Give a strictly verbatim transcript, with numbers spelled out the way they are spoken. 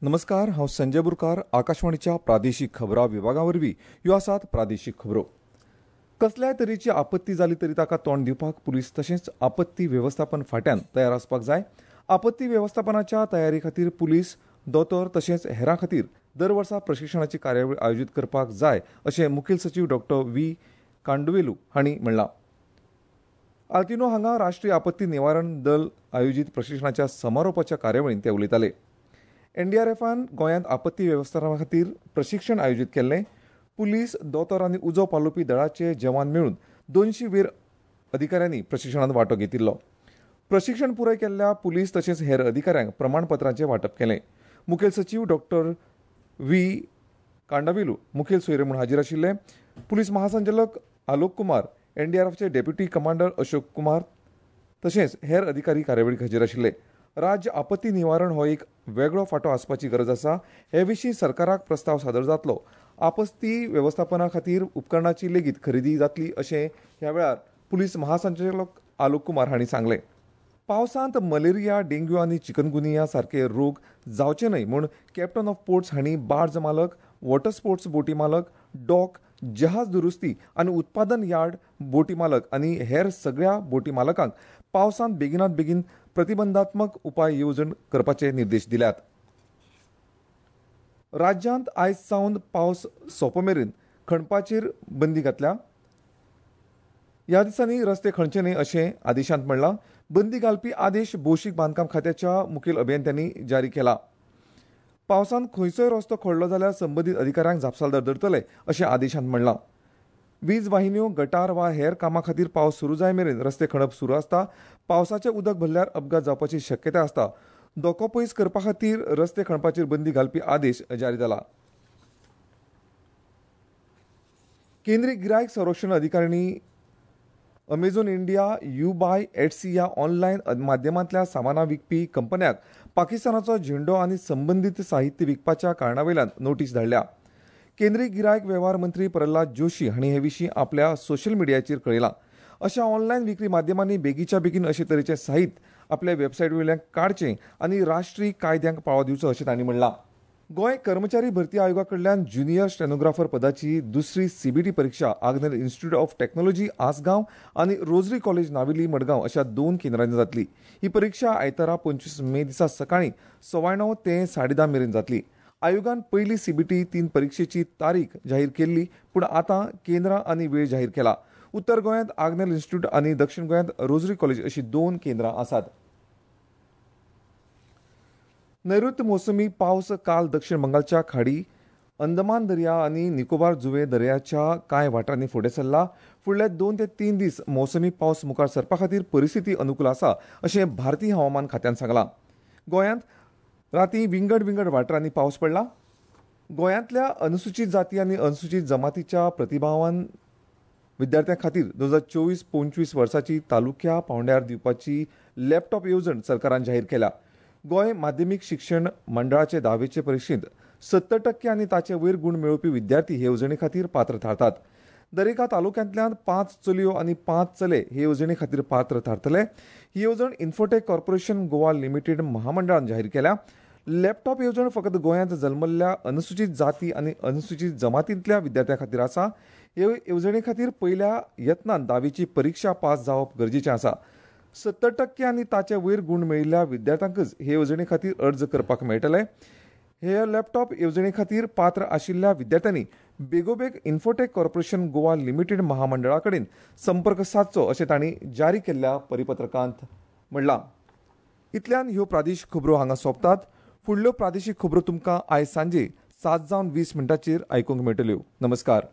नमस्कार, हांव संजय बुरकार. आकाशवाणीच्या प्रादेशीक खबरां विभागा वरवीं ह्यो आसात प्रादेशीक खबरो. कसल्याय तरेची आपत्ती जाली तरी ताका तोंड दिवपाक पुलीस तशेंच आपत्ती वेवस्थापन फांट्यान तयार आसपाक जाय. आपत्ती वेवस्थापनाच्या तयारी खातीर पुलीस, दोतोर तशेंच हेरां खातीर दर वर्सा प्रशिक्षणाची कार्यावळ आयोजीत करपाक जाय अशें मुखेल सचीव डॉक्टर व्ही कांडवेलू हांणी म्हणलां. आल्तिनो हांगा राष्ट्रीय आपत्ती निवारण दल आयोजीत प्रशिक्षणाच्या समारोपाच्या कार्यावळींत ते उलयताले. एनडीआरएफान गोंयांत आपत्ती वेवस्थापना खातीर प्रशिक्षण आयोजीत केल्लें. पुलीस, दोतोर आनी उजो पालोवपी दळाचे जवान मेळून दोनशी वयर अधिकाऱ्यांनी प्रशिक्षणांत वांटो घेतिल्लो. प्रशिक्षण पुराय केल्ल्या पुलीस तशेंच हेर अधिकाऱ्यांक प्रमाणपत्रांचें वांटप केलें. मुखेल सचीव डॉक्टर व्ही कांडावेलू मुखेल सोयरे म्हूण हाजीर आशिल्ले. पुलीस महासंचालक आलोक कुमार, एनडीआरएफचे डेप्युटी कमांडर अशोक कुमार तशेंच हेर अधिकारी कार्यावळीक हाजीर आशिल्ले. राज्य आपत्ती निवारण हो एक वेगळो फांटो आसपाची गरज आसा. हे विशीं सरकाराक प्रस्ताव सादर जातलो. आपत्ती वेवस्थापना खातीर उपकरणाची लेगीत खरेदी जातली अशें ह्या वेळार पुलीस महासंचालक आलोक कुमार हांणी सांगलें. पावसांत मलेरिया, डेंग्यू आनी चिकनगुनिया सारके रोग जावचे न्हय म्हूण कॅप्टन ऑफ पोर्ट्स हांणी बार्ज मालक, वॉटर स्पोर्ट्स बोटी मालक, डॉक, जहाज दुरुस्ती आनी उत्पादन यार्ड बोटी मालक आनी हेर सगळ्या बोटी मालकांक पावसांत बेगिनात बेगीन प्रतिबंधात्मक उपाय येवजण करपाचे निर्देश दिल्यात. राज्यांत आयज सावन पावस सोंपो मेरेन खणपाचेर बंदी घातल्या. ह्या दिसांनी रस्ते खणचे न्हय अशें आदेशांत म्हणलां. बंदी घालपी आदेश भौशीक बांदकाम खात्याच्या मुखेल अभियंत्यांनी जारी केला. पावसांत खंयचोय रस्तो खणलो जाल्यार संबंदीत अधिकाऱ्यांक जापसालदार धरतले अशें आदेशांत म्हणलां. वीज वाहिन्यो, गटार वा हेर कामां खातीर पावस सुरू जाय मेरेन रस्ते खणप सुरू आसता. पावसाचें उदक भरल्यार अपघात जावपाची शक्यताय आसता. धोको पयस करपा खातीर रस्ते खणपाचेर बंदी घालपी आदेश जारी जाला. केंद्रीय गिरायक संरक्षण अधिकारिणी अमेझॉन इंडिया, युबाय, एटसी ह्या ऑनलायन माध्यमांतल्या सामानां विकपी कंपन्यांक पाकिस्तानाचो झेंडो आनी संबंदीत साहित्य विकपाच्या कारणा वयल्यान नोटीस धाडल्या. केंद्रीय गिरायक वेव्हार मंत्री प्रल्हाद जोशी हांणी हे विशीं आपल्या सोशल मिडियाचेर कळयलां. अशा ऑनलायन विक्री माध्यमांनी बेगीच्या बेगीन अशे तरेचें साहित्य आपल्या वेबसायट वयल्यान काडचें आनी राष्ट्रीय कायद्यांक पाळो दिवचो अशें तांणी म्हणलां. गोंय कर्मचारी भरती आयोगा कडल्यान ज्युनियर स्टेनोग्राफर पदाची दुसरी सीबीटी परिक्षा Agnel institute of technology Assagao आनी रोजरी कॉलेज नावेली मडगांव अशा दोन केंद्रांनी जातली. ही परिक्षा आयतारा पंचवीस मे दिसा सकाळीं सवाय णव ते साडे धा मेरेन जातली. आयोगान पयली सीबीटी तीन परिक्षेची तारीख जाहीर केल्ली, पूण आतां केंद्रां आनी वेळ जाहीर केला. उत्तर गोंयांत आग्नेल इन्स्टिट्यूट आनी दक्षिण गोंयांत रोजरी कॉलेज अशी दोन केंद्रां आसात. नैऋत्य मोसमी पावस काल दक्षिण बंगालच्या खाडी, अंदमान दर्या आनी निकोबार जुवे दर्याच्या कांय वाठारांनी फुडें सरला. फुडले दोन ते तीन दीस मोसमी पावस मुखार सरपा खातीर परिस्थिती अनुकूल आसा अशें भारतीय हवामान खात्यान सांगलां. गोंयांत राती विंगड विंगड वाठारांनी पावस पडला. गोंयांतल्या अनुसूचित जाती आनी अनुसूचित जमातीच्या प्रतिभावान विद्यार्थ्यां खातीर दोन हजार चोवीस पंचवीस वर्साची तालुक्या पांवड्यार दिवपाची लॅपटॉप येवजण सरकारान जाहीर केल्या. गोंय माध्यमीक शिक्षण मंडळाचे धावेचे परिक्षेंत सत्तर टक्के आनी ताचे वयर गूण मेळोवपी विद्यार्थी हे येवजणे खातीर पात्र थारतात. दरेका तालुक्यांतल्यान पांच चलयो आनी पांच चले हे येवजणे खातीर पात्र थारतले. ही येवजण इन्फोटेक कॉर्पोरेशन गोवा लिमिटेड महामंडळान जाहीर केल्या. लॅपटॉप येवजण फकत गोंयांत जल्मल्ल्या अनुसूचित जाती आनी अनुसूचित जमातींतल्या विद्यार्थ्यां खातीर आसा. हे येवजणे खातीर पयल्या यत्नान धावेची परिक्षा पास जावप गरजेचें आसा. सत्तर टक्के आनी ताचे वयर गूण मेळिल्ल्या विद्यार्थ्यांकच हे येवजणे खातीर अर्ज करपाक मेळटले. हे लॅपटॉप येवजणे खातीर पात्र आशिल्ल्या विद्यार्थ्यांनी बेगोबेग इन्फोटेक कॉर्पोरेशन गोवा लिमिटेड महामंडळा कडेन संपर्क सादचो अशें तांणी जारी केल्ल्या परिपत्रकांत म्हणलां. इतल्यान ह्यो प्रादेशीक खबरो हांगा सोंपतात. फुडल्यो प्रादेशीक खबरो तुमकां आयज सांजे सात जावन वीस मिनटांचेर आयकूंक मेळटल्यो. नमस्कार.